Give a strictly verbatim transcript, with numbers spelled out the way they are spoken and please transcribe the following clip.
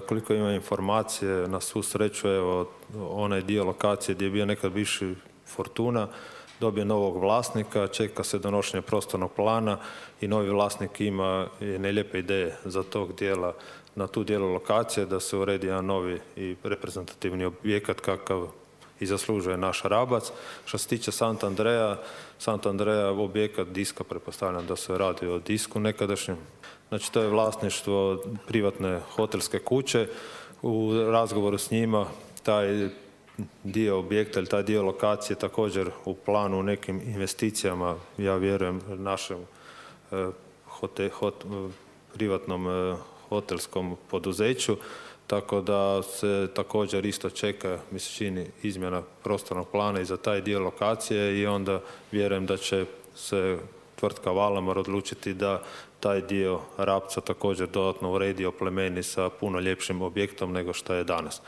koliko ima informacije, na svu sreću, evo, onaj dio lokacije gdje je bio nekad bivši Fortuna, dobije novog vlasnika, čeka se donošenje prostornog plana i novi vlasnik ima jedne lijepe ideje za tog dijela, na tu dijelu lokacije, da se uredi jedan novi i reprezentativni objekat kakav i zaslužuje naš Rabac. Što se tiče Sant Andreja, Sant Andreja objekat diska, pretpostavljam da se radi o disku nekadašnjem. Znači, to je vlasništvo privatne hotelske kuće. U razgovoru s njima taj dio objekta ili taj dio lokacije također u planu u nekim investicijama, ja vjerujem, našem hote, hot, privatnom hotelskom poduzeću, tako da se također isto čeka, mi se čini, izmjena prostornog plana i za taj dio lokacije i onda vjerujem da će se tvrtka Valamar odlučiti da taj dio Rabca također dodatno uredi, oplemeni sa puno ljepšim objektom nego što je danas.